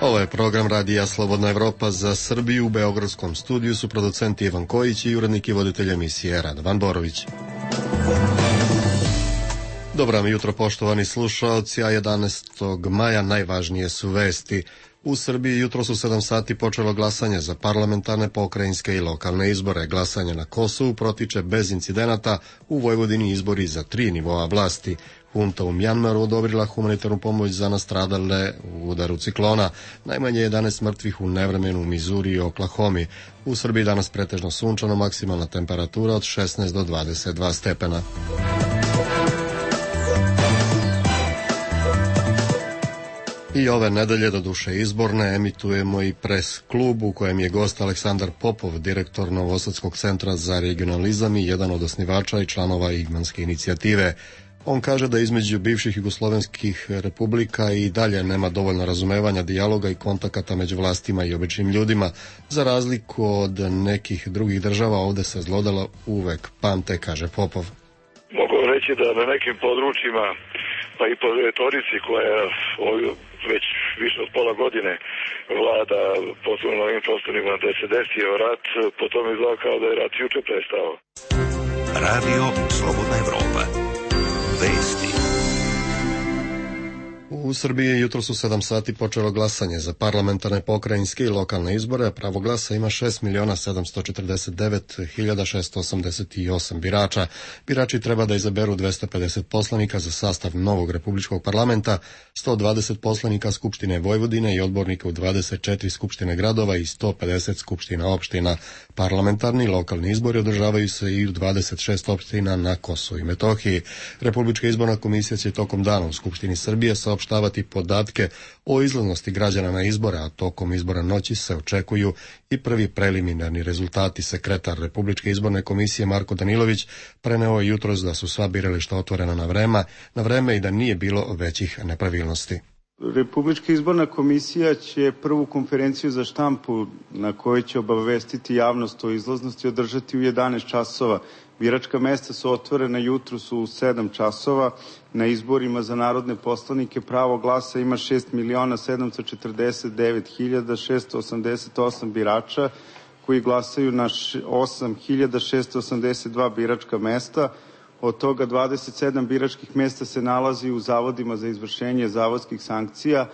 Ovo je program Radija Slobodna Evropa za Srbiju. U beogradskom studiju su producenti Ivan Kojić i urednik i voditelj emisije Radovan Borović. Dobro vam jutro, poštovani slušaoci, a 11. maja najvažnije su vesti. U Srbiji jutro su 7 sati počelo glasanje za parlamentarne, pokrajinske i lokalne izbore. Glasanje na Kosovu protiče bez incidenata, u Vojvodini izbori za 3 nivoa vlasti. Hunta u Mjanmaru odobrila humanitarnu pomoć za nastradale u udaru ciklona. Najmanje 11 mrtvih u nevremenu u Mizuri i Oklahomi. U Srbiji danas pretežno sunčano, maksimalna temperatura od 16 do 22 stepena. I ove nedelje, do duše izborne, emitujemo i pres klub u kojem je gost Aleksandar Popov, direktor Novosadskog centra za regionalizam i jedan od osnivača i članova Igmanske inicijative. On kaže da između bivših jugoslovenskih republika i dalje nema dovoljno razumevanja, dijaloga i kontakata među vlastima i običnim ljudima. Za razliku od nekih drugih država, ovde se zlodela uvek pamte, kaže Popov. Mogu reći da na nekim područjima, pa i po retorici koja već više od pola godine vlada posebno na ovim prostorima da se desio rat, potom izgleda kao da je rat juče prestao. Radio Slobodna Evropa. Vesti. U Srbiji jutro su 7 sati počelo glasanje za parlamentarne, pokrajinske i lokalne izbore. Pravo glasa ima 6.749.688 birača. Birači treba da izaberu 250 poslanika za sastav novog republičkog parlamenta, 120 poslanika Skupštine Vojvodine i odbornika u 24 skupštine gradova i 150 skupština opština. Parlamentarni i lokalni izbori održavaju se i u 26 opština na Kosovu i Metohiji. Republička izborna komisija će tokom dana u Skupštini Srbije saopštavati podatke o izlaznosti građana na izbore, a tokom izbora noći se očekuju i prvi preliminarni rezultati. Sekretar Republičke izborne komisije Marko Danilović preneo je jutros da su sva birališta otvorena na vreme i da nije bilo većih nepravilnosti. Republička izborna komisija će prvu konferenciju za štampu na kojoj će obavestiti javnost o izlaznosti održati u 11 časova. Biračka mesta su otvorena jutro su u 7 časova. Na izborima za narodne poslanike pravo glasa ima 6.749.688 birača koji glasaju na 8.682 biračka mesta. Od toga 27 biračkih mesta se nalazi u zavodima za izvršenje zavodskih sankcija,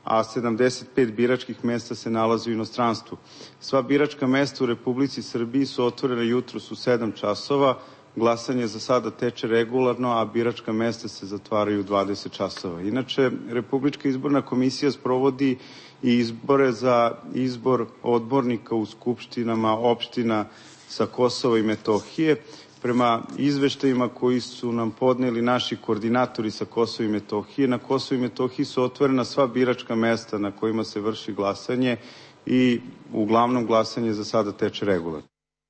a 75 biračkih mesta se nalazi u inostranstvu. Sva biračka mesta u Republici Srbiji su otvorena jutros u 7 časova. Glasanje za sada teče regularno, a biračka mesta se zatvaraju u 20 časova. Inače, Republička izborna komisija sprovodi i izbore za izbor odbornika u skupštinama opština sa Kosova i Metohije. Prema izveštajima koji su nam podneli naši koordinatori sa Kosova i Metohije, na Kosovu i Metohiji su otvorena sva biračka mesta na kojima se vrši glasanje i uglavnom glasanje za sada teče regularno.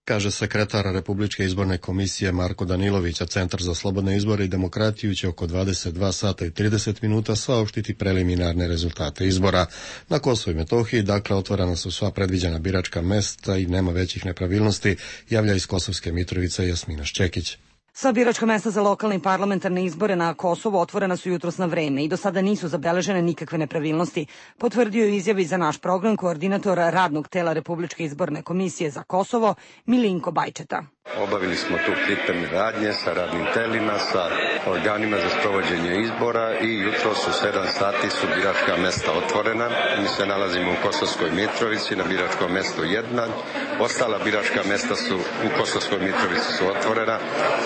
Kaže sekretar Republičke izborne komisije Marko Danilović, a Centar za slobodne izbore i demokratiju će oko 22 sata i 30 minuta saopštiti preliminarne rezultate izbora. Na Kosovu i Metohiji, dakle, otvorena su sva predviđena biračka mesta i nema većih nepravilnosti, javlja iz Kosovske Mitrovice Jasmina Šćekić. Sva biračka mesta za lokalne i parlamentarne izbore na Kosovu otvorena su jutros na vreme i do sada nisu zabeležene nikakve nepravilnosti, potvrdio je izjavi za naš program koordinator radnog tela Republičke izborne komisije za Kosovo Milinko Bajčeta. Obavili smo tu pripremne radnje sa radnim telima, sa organima za sprovođenje izbora i jutro su 7 sati su biračka mesta otvorena. Mi se nalazimo u Kosovskoj Mitrovici na biračkom mestu 1. Ostala biračka mesta su u Kosovskoj Mitrovici su otvorena,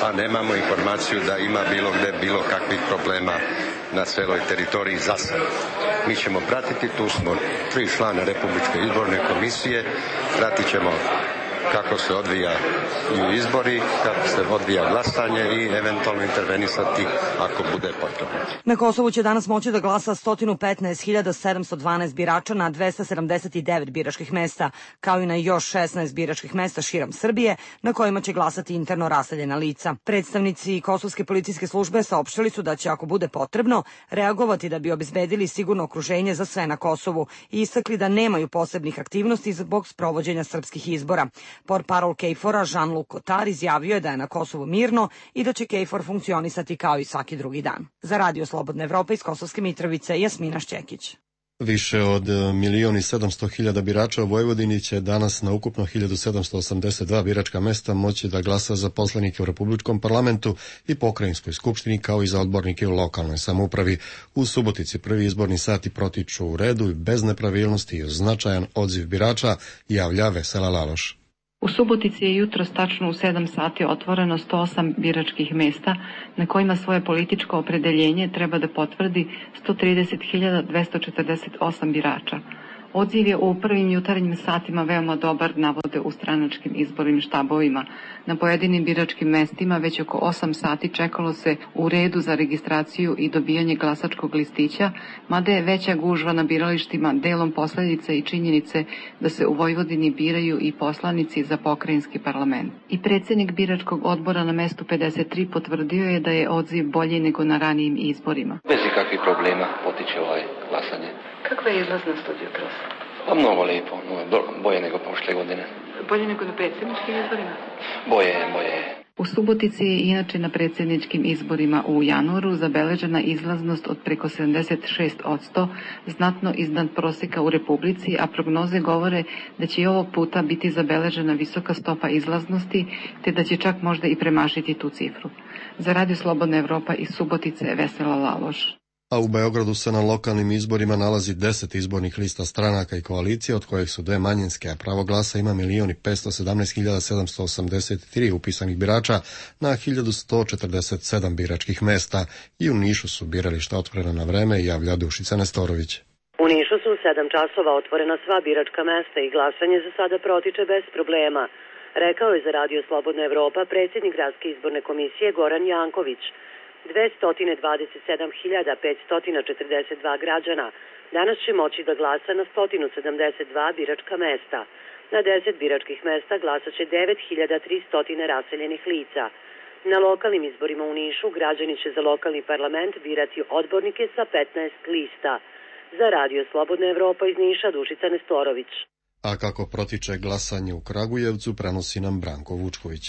a nemamo informaciju da ima bilo gde bilo kakvih problema na celoj teritoriji za sad. Mi ćemo pratiti, tu smo 3 člana Republičke izborne komisije, pratit ćemo kako se odvijaju izbori, kako se odvija glasanje i eventualno intervenisati ako bude potrebno. Na Kosovu će danas moći da glasa 115.712 birača na 279 biračkih mesta, kao i na još 16 biračkih mesta širom Srbije, na kojima će glasati interno raseljena lica. Predstavnici Kosovske policijske službe saopštili su da će, ako bude potrebno, reagovati da bi obezbedili sigurno okruženje za sve na Kosovu i istakli da nemaju posebnih aktivnosti zbog sprovođenja srpskih izbora. Portparol KFOR-a Jean-Luc Cotard izjavio je da je na Kosovu mirno i da će KFOR funkcionisati kao i svaki drugi dan. Za Radio Slobodna Evropa iz Kosovske Mitrovice, Jasmina Šćekić. Više od 1.700.000 birača u Vojvodini će danas na ukupno 1782 biračka mesta moći da glasa za poslanike u Republičkom parlamentu i pokrajinskoj skupštini kao i za odbornike u lokalnoj samoupravi. U Subotici prvi izborni sati protiču u redu i bez nepravilnosti i značajan odziv birača, javlja Vesela Laloš. U Subotici je jutros tačno u 7 sati otvoreno 108 biračkih mesta na kojima svoje političko opredeljenje treba da potvrdi 130.248 birača. Odziv je u prvim jutarnjim satima veoma dobar, navode u stranačkim izbornim štabovima. Na pojedinim biračkim mestima već oko 8 sati čekalo se u redu za registraciju i dobijanje glasačkog listića, mada je veća gužva na biralištima delom posledica i činjenice da se u Vojvodini biraju i poslanici za pokrajinski parlament. I predsjednik biračkog odbora na mestu 53 potvrdio je da je odziv bolji nego na ranijim izborima. Bez ikakvih problema potiče glasanje. Kakva je izlaznost od jutros? Pa mnogo lijepo, bolje nego prošle godine. Bolje nego na predsjedničkim izborima? Bolje je. U Subotici je inače na predsjedničkim izborima u januaru zabeležena izlaznost od preko 76%, znatno iznad prosjeka u Republici, a prognoze govore da će i ovog puta biti zabeležena visoka stopa izlaznosti, te da će čak možda i premašiti tu cifru. Za Radio Slobodna Evropa iz Subotice, Vesela Laloš. A u Beogradu se na lokalnim izborima nalazi 10 izbornih lista stranaka i koalicije, od kojih su 2 manjinske, a pravo glasa ima 1.517.783 upisanih birača na 1.147 biračkih mesta. I u Nišu su birališta otvorena na vreme, javlja Dušica Nestorović. U Nišu su u 7 časova otvorena sva biračka mesta i glasanje za sada protiče bez problema, rekao je za Radio Slobodna Evropa predsjednik Gradske izborne komisije Goran Janković. 227.542 građana danas će moći da glasa na 172 biračka mesta. Na 10 biračkih mesta glasat će 9.300 raseljenih lica. Na lokalnim izborima u Nišu građani će za lokalni parlament birati odbornike sa 15 lista. Za Radio Slobodna Evropa iz Niša, Dušica Nestorović. A kako protiče glasanje u Kragujevcu, prenosi nam Branko Vučković.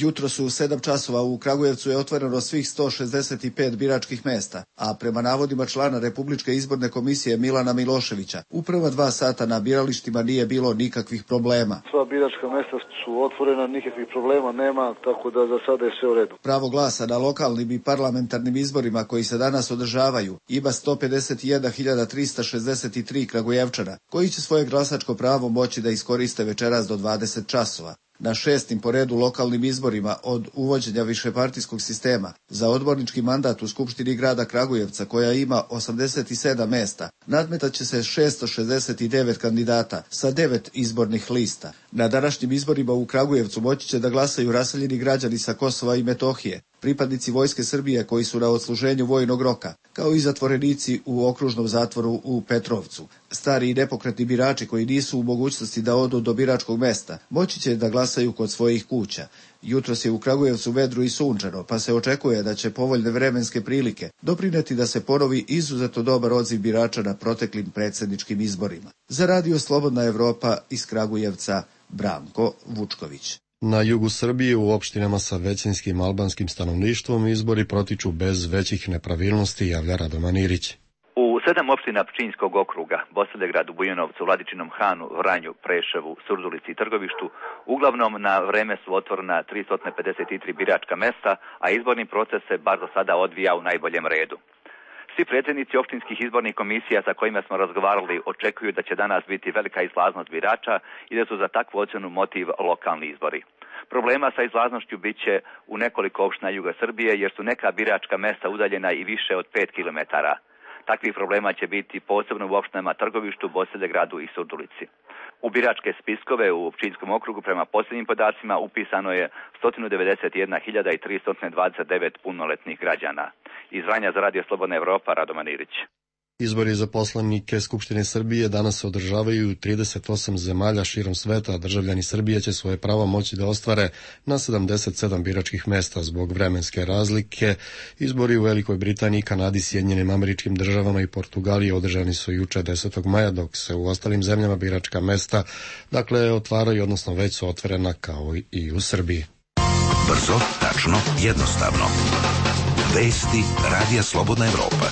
Jutro su u 7 časova u Kragujevcu je otvoreno svih 165 biračkih mesta, a prema navodima člana Republičke izborne komisije Milana Miloševića, u prva 2 sata na biralištima nije bilo nikakvih problema. Sva biračka mesta su otvorena, nikakvih problema nema, tako da za sada je sve u redu. Pravo glasa na lokalnim i parlamentarnim izborima koji se danas održavaju ima 151.363 Kragujevčana, koji će svoje glasačko pravo moći da iskoriste večeras do 20 časova. Na 6. po redu lokalnim izborima od uvođenja višepartijskog sistema za odbornički mandat u Skupštini grada Kragujevca, koja ima 87 mesta, nadmetaće se 669 kandidata sa 9 izbornih lista. Na današnjim izborima u Kragujevcu moći će da glasaju raseljeni građani sa Kosova i Metohije, pripadnici Vojske Srbije koji su na odsluženju vojnog roka, kao i zatvorenici u okružnom zatvoru u Petrovcu. Stari i nepokretni birači koji nisu u mogućnosti da odu do biračkog mesta, moći će da glasaju kod svojih kuća. Jutros je u Kragujevcu vedro i sunčano, pa se očekuje da će povoljne vremenske prilike doprineti da se ponovi izuzetno dobar odziv birača na proteklim predsjedničkim izborima. Za Radio Slobodna Evropa iz Kragujevca, Branko Vučković. Na jugu Srbije u opštinama sa većinskim albanskim stanovništvom izbori protiču bez većih nepravilnosti, javlja Radovan Irić. U 7 opština Pčinjskog okruga, Bosilegradu, Bujanovcu, Vladičinom Hanu, Vranju, Preševu, Surdulici i Trgovištu, uglavnom na vreme su otvorena 353 biračka mesta, a izborni proces se bar do sada odvija u najboljem redu. Svi predsjednici opštinskih izbornih komisija sa kojima smo razgovarali očekuju da će danas biti velika izlaznost birača i da su za takvu ocjenu motiv lokalni izbori. Problema sa izlaznošću bit će u nekoliko opština juga Srbije jer su neka biračka mesta udaljena i više od 5 kilometara. Takvih problema će biti posebno u opštinama Trgovištu, Bosilegradu i Surdulici. U biračke spiskove u Pčinjskom okrugu prema posljednjim podacima upisano je 191.329 punoletnih građana. Iz Vranja za Radio Slobodna Evropa, Radovan Irić. Izbori za poslanike Skupštine Srbije danas se održavaju u 38 zemalja širom sveta, a državljani Srbije će svoje pravo moći da ostvare na 77 biračkih mesta zbog vremenske razlike. Izbori u Velikoj Britaniji, Kanadi, Sjedinjenim Američkim Državama i Portugaliji održani su juče 10. maja, dok se u ostalim zemljama biračka mesta, otvaraju, odnosno već su otvorena kao i u Srbiji. Brzo, tačno, jednostavno. Vesti Radija Slobodna Evropa.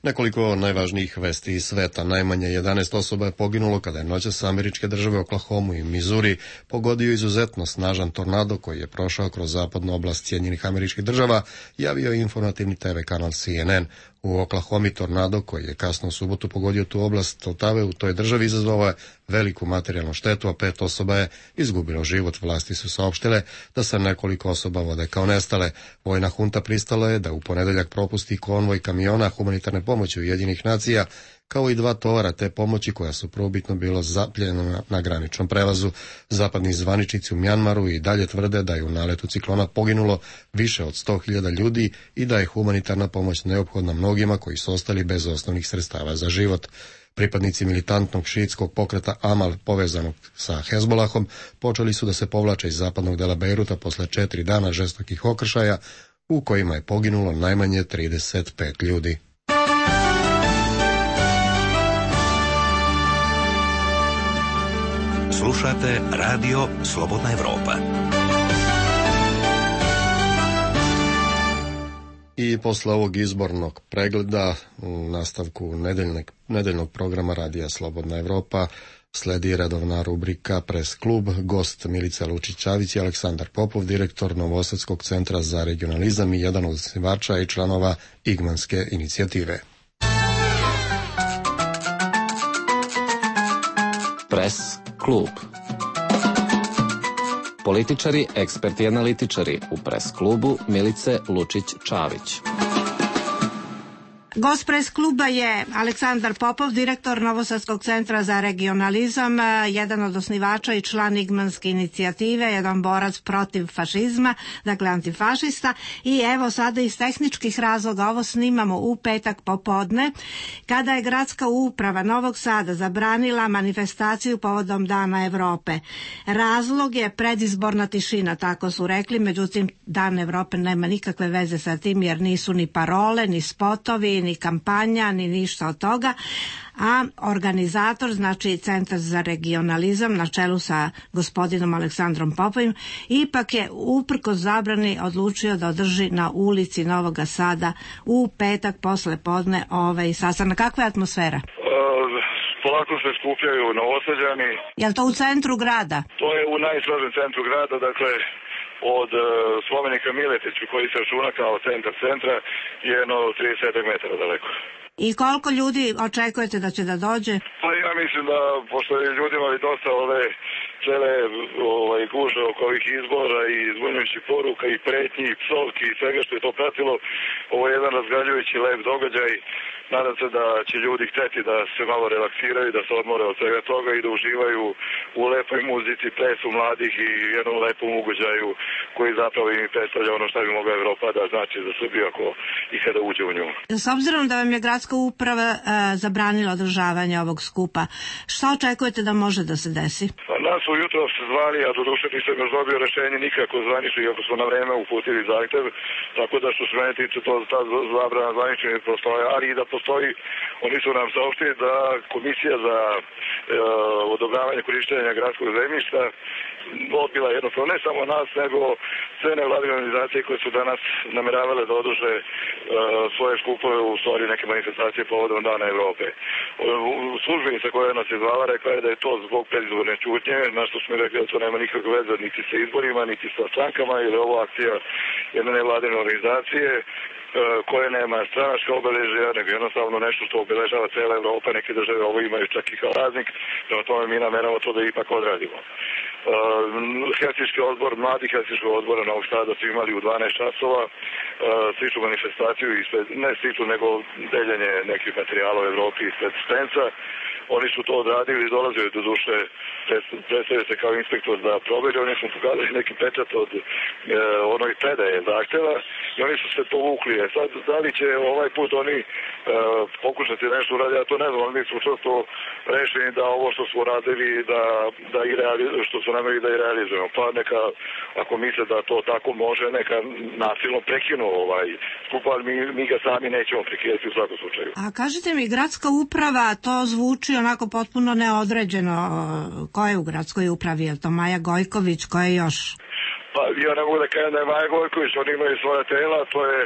Nekoliko najvažnijih vesti iz sveta. Najmanje 11 osoba je poginulo kada je noćas američke države Oklahomu i Missouri pogodio izuzetno snažan tornado koji je prošao kroz zapadnu oblast Sjedinjenih Američkih Država, javio je informativni TV kanal CNN. U Oklahomi tornado koji je kasno u subotu pogodio tu oblast Otave u toj državi izazvao je veliku materijalnu štetu, a 5 osoba je izgubilo život. Vlasti su saopštile da se nekoliko osoba vode kao nestale. Vojna hunta pristala je da u ponedeljak propusti konvoj kamiona humanitarne pomoći Ujedinjenih nacija, kao i 2 tovara te pomoći koja su prvobitno bilo zapljena na graničnom prelazu. Zapadni zvaničnici u Mjanmaru i dalje tvrde da je u naletu ciklona poginulo više od 100.000 ljudi i da je humanitarna pomoć neophodna mnogima koji su ostali bez osnovnih sredstava za život. Pripadnici militantnog šiitskog pokreta Amal povezanog sa Hezbolahom počeli su da se povlače iz zapadnog dela Bejruta posle 4 dana žestokih okršaja u kojima je poginulo najmanje 35 ljudi. Slušate radio Slobodna Evropa. I posle ovog izbornog pregleda u nastavku nedeljnog programa radija Slobodna Evropa sledi redovna rubrika Pres klub. Gost Milica Lučić-Ćavić i Aleksandar Popov, direktor Novosadskog centra za regionalizam i jedan od osnivača i članova Igmanske inicijative. Pres klub. Političari, eksperti i analitičari u Pres klubu Milice Lučić-Ćavić. Gost Pres kluba je Aleksandar Popov, direktor Novosadskog centra za regionalizam, jedan od osnivača i član Igmanske inicijative, jedan borac protiv fašizma, dakle antifašista. I evo sada iz tehničkih razloga ovo snimamo u petak popodne, kada je gradska uprava Novog Sada zabranila manifestaciju povodom Dana Evrope. Razlog je predizborna tišina, tako su rekli, međutim Dan Evrope nema nikakve veze sa tim jer nisu ni parole, ni spotovi, ni kampanja, ni ništa od toga, a organizator, znači Centar za regionalizam na čelu sa gospodinom Aleksandrom Popovim, ipak je uprkos zabrani odlučio da održi na ulici Novoga Sada u petak posle podne sastanak. Kakva je atmosfera? Polako se skupljaju Novosađani. Je li to u centru grada? To je u najstrožem centru grada, dakle od spomenika Miletiću koji se računa kao centra je jedno 30 metara daleko. I koliko ljudi očekujete da će da dođe? Pa ja mislim da, pošto je ljudima ali dosta cele guže oko ovih izbora i zbunjujućih poruka i pretnji i psovki i svega što je to pratilo, ovo je jedan razgaljujući lep događaj. Nadam se da će ljudi hteti da se malo relaksiraju, da se odmore od svega toga i da uživaju u lepoj muzici, plesu mladih i jednom lepom ugođaju koji zapravo im predstavlja ono što bi mogla Evropa da znači za Srbiju ako i kada uđe u nju. S obzirom da vam je gradska uprava zabranila održavanje ovog skupa, šta očekujete da može da se desi? Nas su jutro zvali, a doduše nisam još dobio rešenje nikako zvanično, iako smo na vreme uputili zahtev, tako da što se mene tiče to ta zabrana zvanično ne postoje, ali i da postoji, oni su nam saopštili da Komisija za odobravanje korištenja gradskog zemljišta odbila jednostavno ne samo nas, nego sve nevladine organizacije koje su danas nameravale da održe svoje skupove, u stvari neke manifestacije povodom Dana Evrope. Službenica koja nas je zvala rekla je da je to zbog predizborne ćutnje, na što smo rekli da to nema nikakve veze niti sa izborima, niti sa strankama, jer je ovo akcija jedne nevladine organizacije koje nema stranačka obeležja, nego jednostavno nešto što obeležava cela Evropa, neke države ovo imaju čak i kao raznik, prema tome mi nameramo to da ipak odradimo. Helsinški odbor, mladi Helsinškog odbora Novog Sada su imali u 12 časova sličnu manifestaciju, ne sličnu nego deljenje nekih materijala u Evropi ispred Spenca. Oni su to odradili, dolazili do duše, predstavio se kao inspektor da proveri, oni su pokazali neki pečat od onog predaje zahteva i oni su se povukli. Sad, da li će ovaj put oni pokušati nešto uraditi, ja to ne znam, ali mi smo često rešeni da ovo što smo radili, što su nameri da i realizujemo. Pa neka, ako misle da to tako može, neka nasilno prekinu skup, ali mi ga sami nećemo prekidati u svakom slučaju. A kažite mi, gradska uprava, to zvuči onako potpuno neodređeno. Ko je u gradskoj upravi? Je to Maja Gojković? Ko je još? Pa ja ne mogu da kažem da je Maja Gojković, oni imaju svoja tela, to je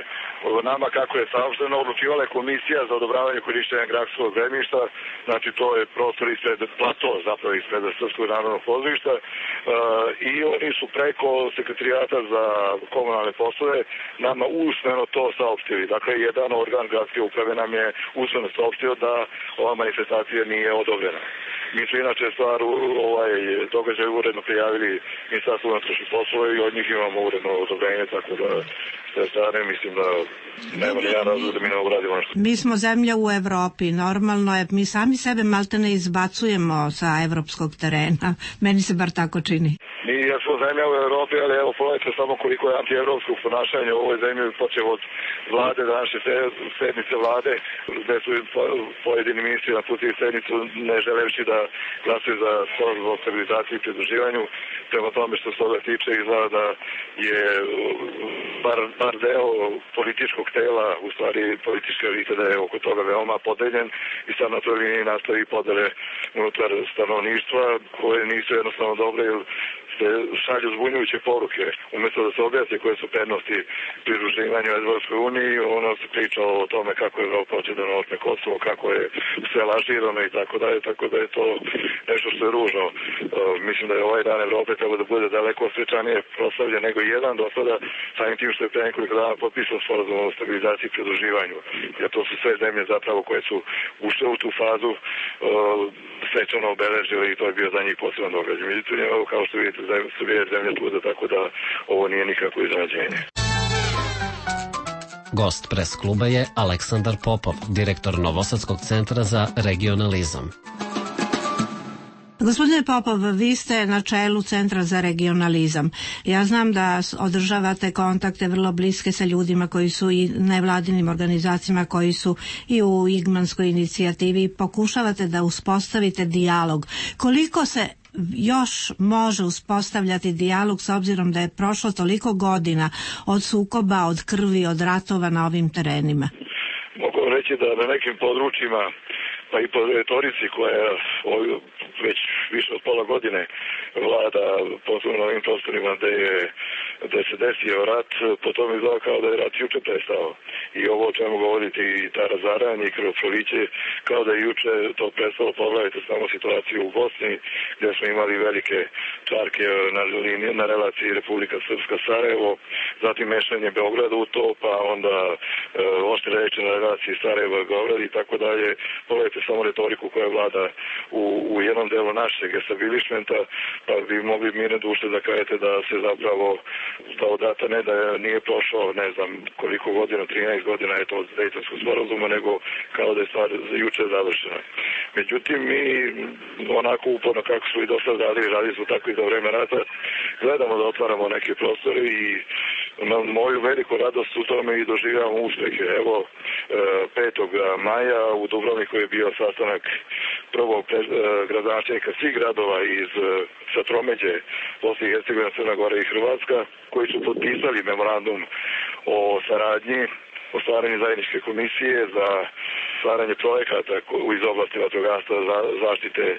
nama kako je saopšteno, odlučivala je komisija za odobravanje korišćenja gradskog zemljišta, znači to je prostor ispred plato, zapravo ispred Srpskog narodnog pozorišta, i oni su preko sekretarijata za komunalne poslove nama usmeno to saopštili. Dakle, jedan organ gradske uprave nam je usmeno saopštio da ova manifestacija nije odobrena. Mi su inače stvar događaj uredno prijavili Ministarstvo unutrašnjih poslova i od njih imamo uredno odobrenje, tako da sve strane mislim da nema nijedan razlog da mi ne uradimo nešto. Mi smo zemlja u Evropi, normalno je, mi sami sebe malte ne izbacujemo sa evropskog terena, meni se bar tako čini. Mi jesmo zemlja u Evropi, ali evo pogledajte samo koliko je antievropskog ponašanja u ovoj zemlji, počeo od vlade, današnje sednice vlade, gde su pojedini ministri napustili sednicu ne želeći da glasuju za sporazum o stabilizaciji i pridruživanju. Prema tome što se toga tiče, izgleda da je bar deo političkog tela, u stvari političke elite, da je oko toga veoma podeljen i sad na toj liniji nastavi podele unutar stanovništva koje nisu jednostavno dobre, jer se šalju zbunjujuće poruke. Umjesto da se objasne koje su prednosti pridruživanju Evropskoj uniji, ono se priča o tome kako je Evropa hoće da naotme Kosovo, kako je sve lažirano i tako dalje, tako da je to nešto što je ružno. Mislim da je ovaj dan Evrope treba da bude daleko svečanije proslavljen nego jedan do sada, samim tim što je pre nekoliko dana potpisan sporazum o stabilizaciji i pridruživanju, jer to su sve zemlje zapravo koje su ušle u tu fazu svečano obeležile i to je bio za njih poseban događaj. Međutim, kao što vidite, Srbija je zemlja čuda, tako da ovo nije nikako iznenađenje. Gost pres kluba je Aleksandar Popov, direktor Novosadskog centra za regionalizam. Gospodine Popov, vi ste na čelu Centra za regionalizam. Ja znam da održavate kontakte vrlo bliske sa ljudima koji su i nevladinim organizacijama, koji su i u Igmanskoj inicijativi i pokušavate da uspostavite dijalog. Koliko se još može uspostavljati dijalog s obzirom da je prošlo toliko godina od sukoba, od krvi, od ratova na ovim terenima? Mogu reći da na nekim područjima, pa i po retorici koja je već više od pola godine vlada posebno na ovim prostorima gde se desio rat, potom izgleda kao da je rat juče prestao. I ovo o čemu govoriti i ta razaranje i krvoproliće, kao da je juče to prestalo. Pogledajte samo situaciju u Bosni, gdje smo imali velike čarke na relaciji Republika Srpska-Sarajevo, zatim mešanje Beograda u to, pa onda oštre reči na relaciji Sarajevo-Beograd i tako dalje. Pogledajte samo retoriku koja vlada u jednom delu našeg establishmenta, pa bi mogli mirne duše da kažete da se zapravo od rata ne da nije prošao, ne znam koliko godina, 13 godina je to od Dejtonskog sporazuma, nego kao da je stvar juče završena. Međutim, mi onako uporno kako smo i do sad radili smo tako i za vreme rata, gledamo da otvaramo neke prostore i na moju veliku radost u tome i doživljavamo uspehe. Evo, 5. maja u Dubrovniku je bio sastanak prvog gradonačelnika svih gradova iz Satromeđe, Bosne i Hercegovine, Crna Gora i Hrvatska, koji su potpisali memorandum o saradnji, o stvaranju zajedničke komisije za stvaranje projekata iz oblasti vatrogastva, zaštite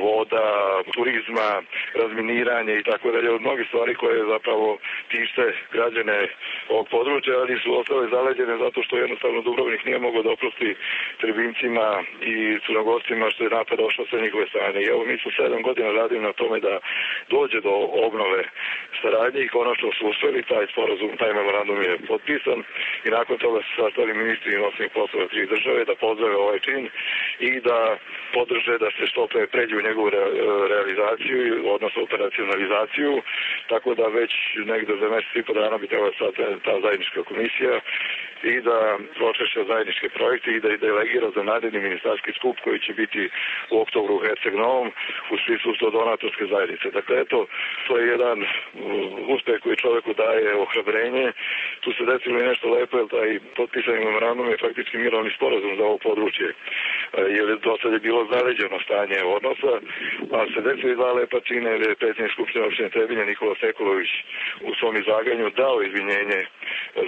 voda, turizma, razminiranje i tako dalje, od mnogih stvari koje zapravo tište građane ovog područja, ali su ostale zaleđene zato što jednostavno Dubrovnik nije mogao da oprosti Trebincima i Crnogorcima što je napad došao sa njihove strane. I evo mi smo 7 godina radili na tome da dođe do obnove saradnje i konačno su uspeli, taj sporazum, taj memorandum je potpisan i nakon toga su sastali ministri inostranih poslova 3 države da pozdrave ovaj čin i da podrže da se što pre pređe u njegovu realizaciju, odnosno operacionalizaciju, tako da već negde za mjesec i po dana bi trebala sad ta zajednička komisija i da pročešća zajedničke projekte i da ih delegira za naredni ministarski skup koji će biti u oktobru u Herceg Novom u smislu donatorske zajednice. Dakle, eto, to je jedan uspeh koji čoveku daje ohrabrenje. Tu se desilo i nešto lepo, jer taj potpisani memorandum je faktički mirovni sporazum za ovo područje. Jer do sad je bilo zaleđeno stanje odnosa, pa se desili 2 lepa čine, jer je predsjednik Skupštine opštine Trebinje Nikola Sekulović u svom izlaganju dao izvinjenje,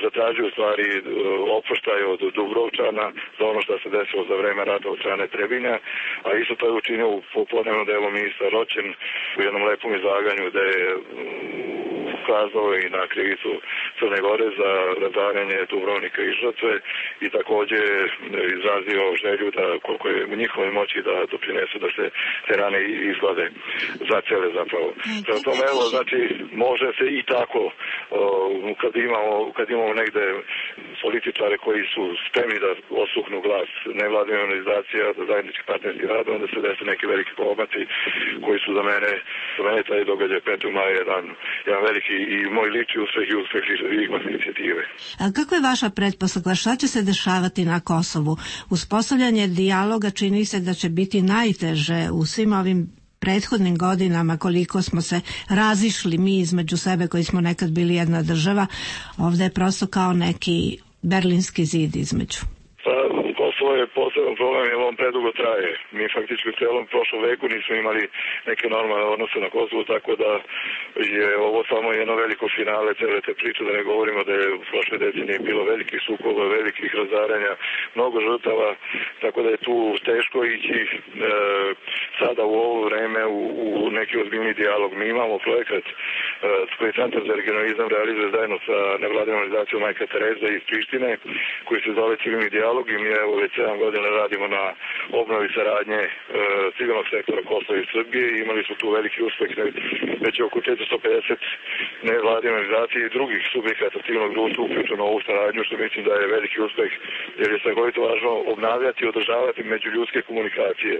zatražio u stvari oproštaj od Dubrovčana za ono što se desilo za vreme rata od strane Trebinja, a isto to je učinio u popodnevnom delu ministar Roćen u jednom lepom izlaganju gde je ukazao i na krivicu Crne Gore za razaranje Dubrovnika i žrtve i takođe izrazio želju da koliko je u njihovoj moći da doprinesu da se te rane izglade za cele zapravo. Prema tome, evo, znači, može se i tako kad imamo negde političare koji su spremni da osluhnu glas nevladine organizacija, da zajednički partnerski rad, onda se desi neki veliki pomaci koji su za mene taj događaj 5. maja jedan veliki i moj lični uspeh i uspeh inicijative. A kako je vaša pretpostavka? Šta će se dešavati na Kosovu? Uspostavljanje dijaloga čini se da će biti najteže u svim ovim prethodnim godinama, koliko smo se razišli mi između sebe koji smo nekad bili jedna država. Ovdje je prosto kao neki berlinski zid između. Kosovo je poseban problem jer on predugo traje. Mi faktički u celom prošlom veku nismo imali neke normalne odnose na Kosovu, tako da je ovo samo jedno veliko finale cele te priče, da ne govorimo da je u prošle decenije bilo velikih sukoba, velikih razaranja, mnogo žrtava, tako da je tu teško ići sada u ovo vreme u neki ozbiljni dijalog. Mi imamo projekat koji Centar za regionalizam realizuje zajedno sa nevladinom organizacijom Majka Tereza iz Prištine, koji se zove Civilni dijalog i mi evo već 7 godina radimo na obnovi saradnje civilnog sektora Kosova i Srbije i imali smo tu veliki uspeh, već oko 450 nevladine organizacije i drugih subjekata civilnog društva uključeno u ovu saradnju, što mislim da je veliki uspeh jer je strahovito važno obnavljati i održavati međuljudske komunikacije.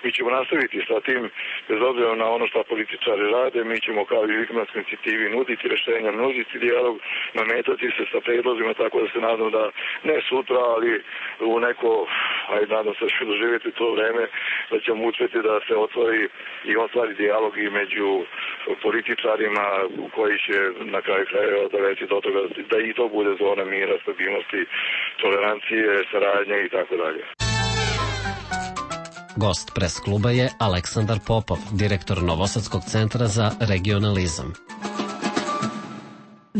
Mi ćemo nastaviti sa tim, bez obzira na ono što političari rade, mi ćemo kao i Vikmanskoj inicijativi nuditi rešenja, nuditi dijalog, nametati se sa predlozima, tako da se nadam da ne sutra, ali u neko, nadam se da ću doživjeti to vreme, da ćemo uspjeti da se ostvari dijalog i među političarima koji će na kraju krajeva dovesti do toga da i to bude zona mira, stabilnosti, tolerancije, saradnje i tako dalje. Gost pres kluba je Aleksandar Popov, direktor Novosadskog centra za regionalizam.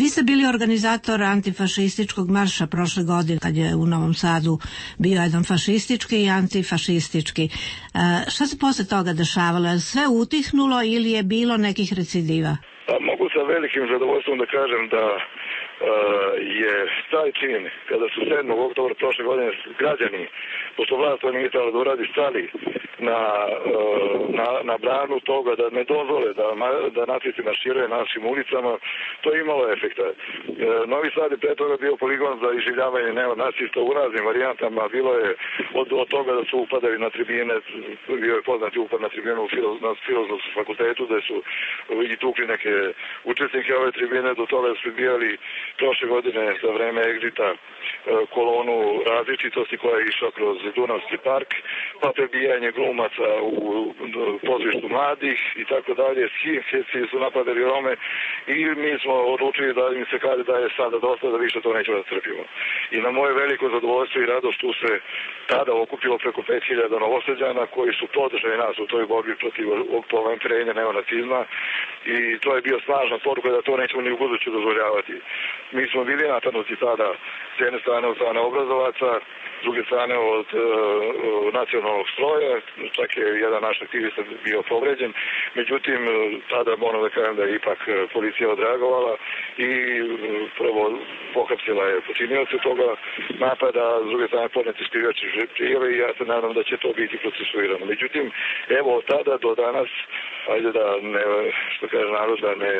Vi ste bili organizator antifašističkog marša prošle godine, kad je u Novom Sadu bio jedan fašistički i antifašistički. Šta se posle toga dešavalo? Je sve utihnulo ili je bilo nekih recidiva? Mogu sa velikim zadovoljstvom da kažem da je taj čin, kada su 7. oktobra prošle godine građani, pošto vlast to nije trebalo da uradi, stali na branu toga da ne dozvole da nacisti marširaju našim ulicama, to je imalo efekta. Novi Sad je pre toga bio poligon za iživljavanje neonacista u raznim varijantama, bilo je od toga da su upadali na tribine, bio je poznati upad na tribinu na Filozofskom fakultetu, da su i tukli neke učesnike ove tribine, do toga da su bijali prošle godine za vreme egzita kolonu različitosti koja je išla kroz Dunavski park, pa prebijanje glumaca u pozorištu mladih i tako dalje. Skinheadsi su napadali Rome i mi smo odlučili da im se kaže da je sada dosta, da više to nećemo da trpimo. I na moje veliko zadovoljstvo i radost tu se tada okupilo preko 5000 Novosađana koji su podržali nas u toj borbi protiv povenčenja neonacizma i to je bio snažna poruka da to nećemo ni u buduće dozvoljavati. Mi smo bili napadnuti tada s jedne strane od strane obrazovaca, s druge strane od nacionalnog stroja, čak je jedan naš aktivista bio povređen, međutim tada moram da kažem da je ipak policija odreagovala i prvo pohapsila je počinioce toga napada, s druge strane podneti skrivače prijave i ja se nadam da će to biti procesuirano. Međutim, evo od tada do danas, ajde da ne, što kaže narod, da ne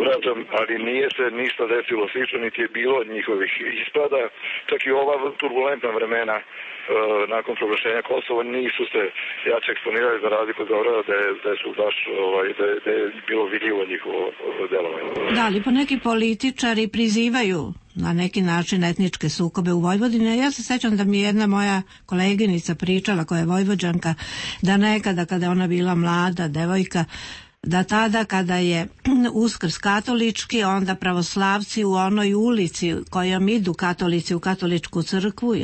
urađam, ali nije se ništa desilo slično, niti je bilo njihovih ispada, čak i ova turbulentna vremena nakon proglašenja Kosova nisu se jače eksponirali za razliku od Beograda da su baš da je bilo vidljivo njihovo delovanje. Da, ali po neki političari prizivaju na neki način etničke sukobe u Vojvodini. Ja se sećam da mi je jedna moja koleginica pričala, koja je Vojvođanka, da nekada kada je ona bila mlada devojka, da tada kada je Uskrs katolički, onda pravoslavci u onoj ulici kojom idu katolici u katoličku crkvu,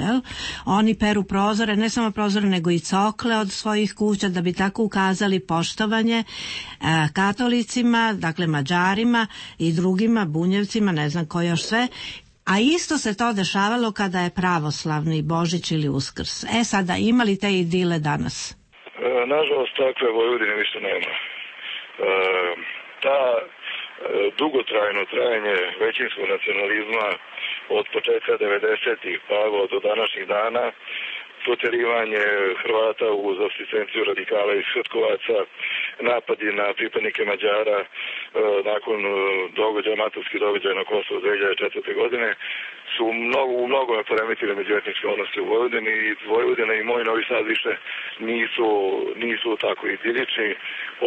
oni peru prozore, ne samo prozore nego i cokle od svojih kuća da bi tako ukazali poštovanje katolicima, dakle Mađarima i drugima, Bunjevcima, ne znam ko još sve. A isto se to dešavalo kada je pravoslavni Božić ili Uskrs. Sada ima li te idile danas? Nažalost, takve Vojvodine više nema. Ta dugotrajno trajanje većinskog nacionalizma od početka 90-ih pa do današnjih dana, proterivanje Hrvata uz asistenciju radikala iz Hrtkovaca, napadi na pripadnike Mađara nakon maturskih događaja na Kosovu 2004. godine su u mnogome poremetili međuetničke odnose u Vojvodini i Vojvodina i moj Novi Sad više nisu tako idilični.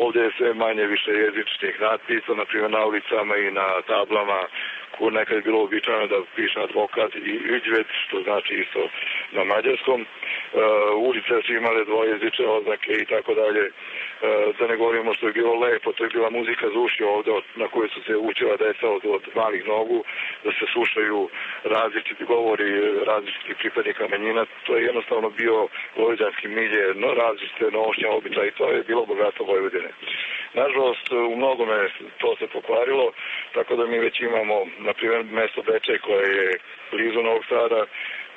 Ovdje je sve manje više jezičnih natpisa, na primjer na ulicama i na tablama koje nekad je bilo običajno da piše advokat i Iđvec, što znači isto na mađarskom. Ulice su imale dvojezične oznake i tako dalje. Da ne govorimo što je bilo lepo, to je bila muzika za uši ovdje na kojoj su se učila deca od malih nogu, da se slušaju različiti govori različitih pripadnika manjina. To je jednostavno bio vojvođanski milje, različite nošnje, običaje i to je bilo bogatstvo Vojvodine. Nažalost, u mnogome to se pokvarilo, tako da mi već imamo, na primjer, mesto Bečej koje je blizu Novog Sada,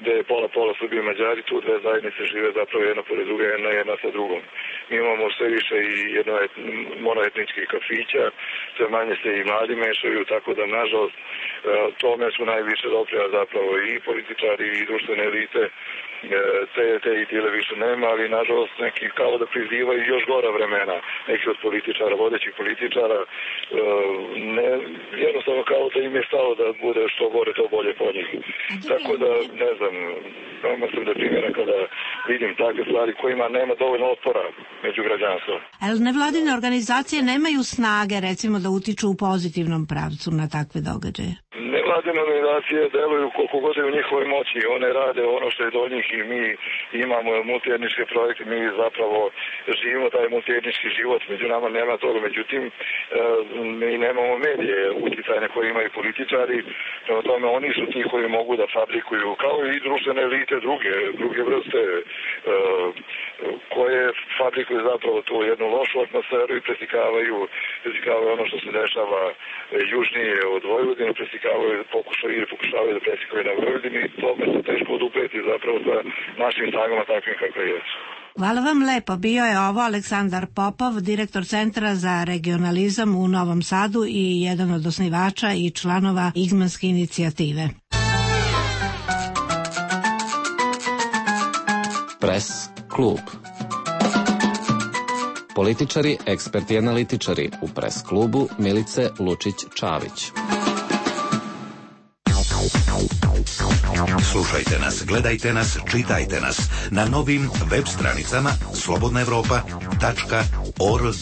gde je pola Srbije i Mađari, tu dve zajednice žive zapravo jedna pored druge, jedna sa drugom. Mi imamo sve više i monoetničkih kafića, sve manje se i mladi mešaju, tako da, nažalost, tome su najviše doprija zapravo i političari i društvene elite, te idile više nema, ali nažalost neki kao da prizivaju još gora vremena, neki od političara, vodećih političara, jednostavno kao da im je stalo da bude što gore, to bolje po njih. Tako da, ne znam, veoma sam deprimiran kada vidim takve stvari kojima nema dovoljno otpora među građanstvom. Ali nevladine organizacije nemaju snage, recimo, da utiču u pozitivnom pravcu na takve događaje? Nevladine organizacije deluju koliko god je u njihovoj moći, one rade ono što je do njih i mi imamo multietničke projekte, mi zapravo živimo taj multietnički život, među nama nema toga, međutim mi nemamo medije utjecajne koje imaju političari, prema tome oni su ti koji mogu da fabrikuju, kao i društvene elite druge vrste koje fabrikuju zapravo tu jednu lošu atmosferu i preslikavaju ono što se dešava južnije od Vojvodine, pokušavaju da preslikaju na Vojvodini i tome se teško odupreti zapravo sa našim snagama takvim kakve jesu. Hvala vam lepo. Bio je ovo Aleksandar Popov, direktor Centra za regionalizam u Novom Sadu i jedan od osnivača i članova Igmanske inicijative. Press klub. Političari, eksperti i analitičari u Press klubu Milice Lučić-Čavić. Slušajte nas, gledajte nas, čitajte nas na novim web stranicama slobodnaevropa.org.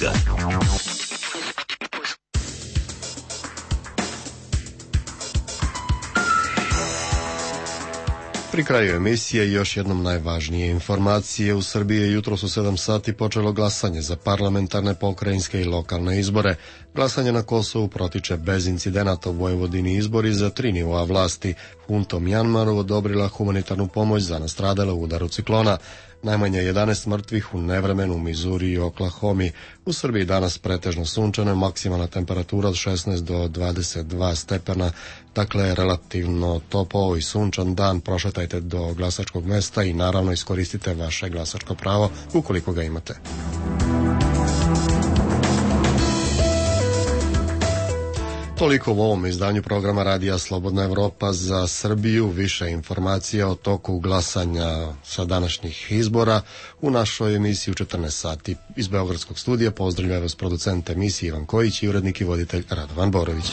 Pri kraju emisije još jednom najvažnije informacije. U Srbiji je jutros u 7 sati počelo glasanje za parlamentarne, pokrajinske i lokalne izbore. Glasanje na Kosovu protiče bez incidenata. U Vojvodini izbori za 3 nivoa vlasti. Hunta Mjanmaru odobrila humanitarnu pomoć za nastradale u udaru ciklona. Najmanje 11 mrtvih u nevremenu u Mizuri i Oklahomi. U Srbiji danas pretežno sunčano, maksimalna temperatura od 16 do 22 stepena, dakle relativno topao i sunčan dan. Prošetajte do glasačkog mesta i naravno iskoristite vaše glasačko pravo ukoliko ga imate. Toliko u ovom izdanju programa Radija Slobodna Evropa za Srbiju. Više informacija o toku glasanja sa današnjih izbora u našoj emisiji u 14 sati. Iz Beogradskog studija pozdravljaju vas producent emisije Ivan Kojić i urednik i voditelj Radovan Borović.